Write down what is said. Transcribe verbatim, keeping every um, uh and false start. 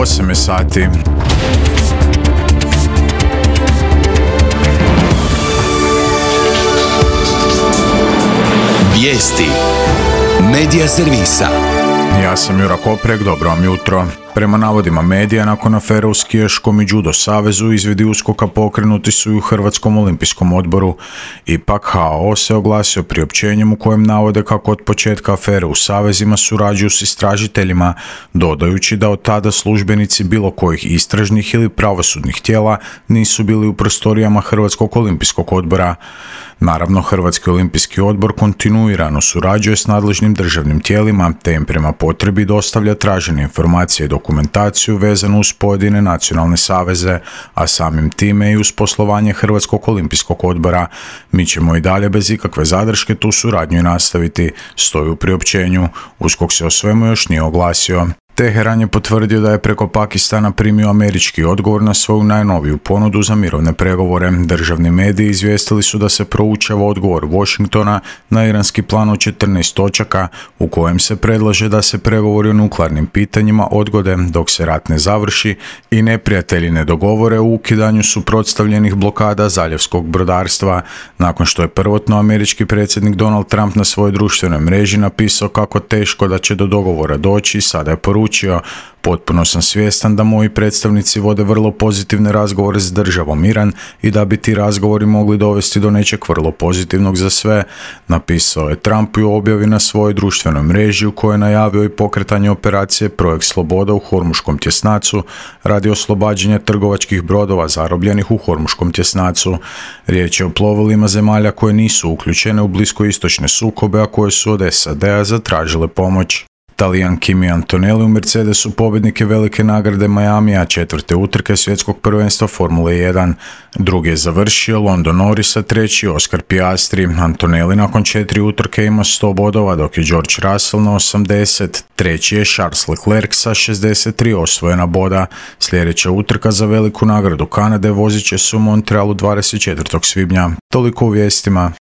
osam je sati. Vijesti Medija servisa. Ja sam Jura Koprek, dobro vam jutro. Prema navodima medija, nakon afere u skijaškom i judo savezu, izvidi uskoka pokrenuti su i u Hrvatskom olimpijskom odboru. Ipak H O se oglasio priopćenjem u kojem navode kako od početka afere u savezima surađuju s istražiteljima, dodajući da od tada službenici bilo kojih istražnih ili pravosudnih tijela nisu bili u prostorijama Hrvatskog olimpijskog odbora. Naravno, Hrvatski olimpijski odbor kontinuirano surađuje s nadležnim državnim tijelima, te im prema potrebi dostavlja tražene informacije i dokumentaciju vezanu uz pojedine nacionalne saveze, a samim time i uz poslovanje Hrvatskog olimpijskog odbora. Mi ćemo i dalje bez ikakve zadrške tu suradnju i nastaviti, stoji u priopćenju. USKOK se o svemu još nije oglasio. Teheran je potvrdio da je preko Pakistana primio američki odgovor na svoju najnoviju ponudu za mirovne pregovore. Državni mediji izvijestili su da se proučava odgovor Washingtona na iranski plan od četrnaest točaka u kojem se predlaže da se pregovori o nuklearnim pitanjima odgode dok se rat ne završi i neprijatelji ne dogovore u ukidanju suprotstavljenih blokada zaljevskog brodarstva. Nakon što je prvotno američki predsjednik Donald Trump na svojoj društvenoj mreži napisao kako teško da će do dogovora doći, sada je poručio: potpuno sam svjestan da moji predstavnici vode vrlo pozitivne razgovore s državom Iran i da bi ti razgovori mogli dovesti do nečeg vrlo pozitivnog za sve, napisao je Trump u objavi na svojoj društvenoj mreži u kojoj je najavio i pokretanje operacije Projekt Sloboda u Hormuškom tjesnacu radi oslobađanja trgovačkih brodova zarobljenih u Hormuškom tjesnacu. Riječ je o plovilima zemalja koje nisu uključene u bliskoistočne sukobe, a koje su od S A D-a zatražile pomoć. Talijan Kimi Antonelli u Mercedesu pobjednik je velike nagrade Miamija, četvrte utrke svjetskog prvenstva Formule jedan. Drugi je završio Lando Norris, a treći Oscar Piastri. Antonelli nakon četiri utrke ima sto bodova, dok je George Russell na osamdeset. Treći je Charles Leclerc sa šezdeset tri osvojena boda. Sljedeća utrka za veliku nagradu Kanade vozit će se u Montrealu dvadeset četvrtog svibnja. Toliko u vijestima.